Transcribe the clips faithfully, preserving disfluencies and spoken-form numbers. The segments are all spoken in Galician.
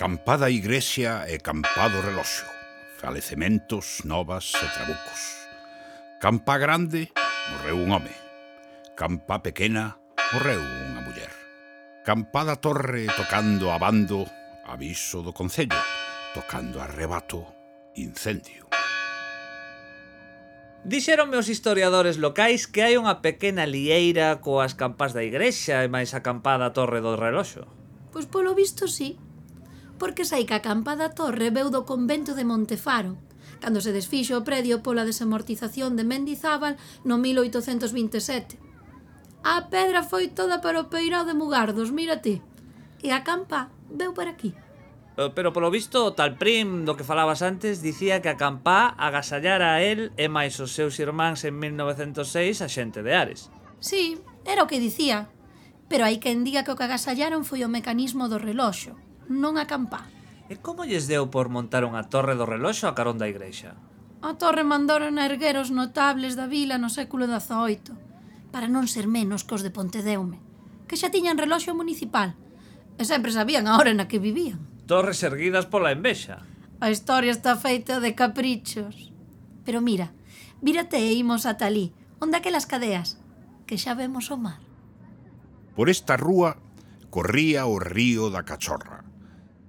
Campada igrexa e campado reloxo, falecementos, novas e trabucos. Campa grande, morreu un home. Campa pequena, morreu unha muller. Campada torre tocando a bando, aviso do concello. Tocando a rebato, incendio. Dixeronme os historiadores locais que hai unha pequena lieira coas campas da igrexa e máis a campada torre do reloxo. Pois polo visto sí, porque sei que a campa da torre veu do convento de Montefaro, cando se desfixo o predio pola desamortización de Mendizábal no mil oitocentos vinte e sete. A pedra foi toda para o peirao de Mugardos, mira ti, e a campa veu para aquí. Pero polo visto o tal Prim do que falabas antes dicía que a campá agasallara a el e máis os seus irmáns en mil novecentos seis a xente de Ares. Sí, era o que dicía, pero hai quen diga que o que agasallaron foi o mecanismo do reloxo, non a campá. E como lles deu por montar unha torre do reloxo a carón da igrexa? A torre mandaron a erguer os notables da vila no século dezaoito, para non ser menos cos de Pontedeume, que xa tiñan reloxo municipal, e sempre sabían a hora na que vivían. Torres erguidas pola envexa. A historia está feita de caprichos. Pero mira, vírate e imos ata alí, onde aquelas cadeas, que xa vemos o mar. Por esta rúa corría o río da Cachorra,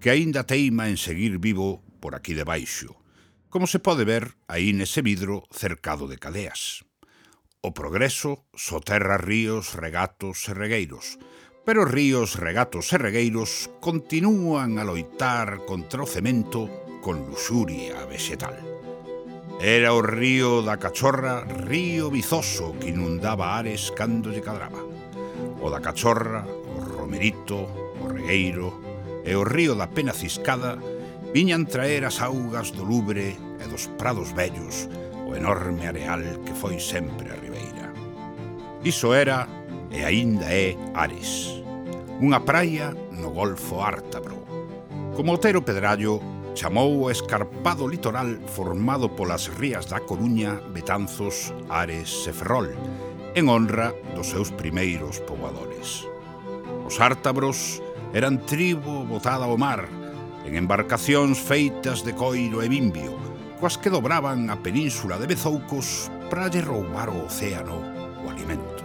que aínda teima en seguir vivo por aquí debaixo, como se pode ver aí nese vidro cercado de cadeas. O progreso soterra ríos, regatos e regueiros, pero ríos, regatos e regueiros continúan a loitar contra o cemento con luxuria vegetal. Era o río da Cachorra, río vizoso que inundaba Ares cando lle cadraba. O da Cachorra, o Romerito, o Regueiro e o río da Pena Ciscada viñan traer as augas do Lubre e dos prados vellos, o enorme areal que foi sempre a ribeira. Iso era, e aínda é, Ares, unha praia no Golfo Ártabro. Como Otero Pedrallo chamou o escarpado litoral formado polas rías da Coruña, Betanzos, Ares e Ferrol, en honra dos seus primeiros poboadores. Os ártabros eran tribo botada ao mar, en embarcacións feitas de coiro e bimbio, coas que dobraban a península de Bezoucos para lle roubar o océano o alimento.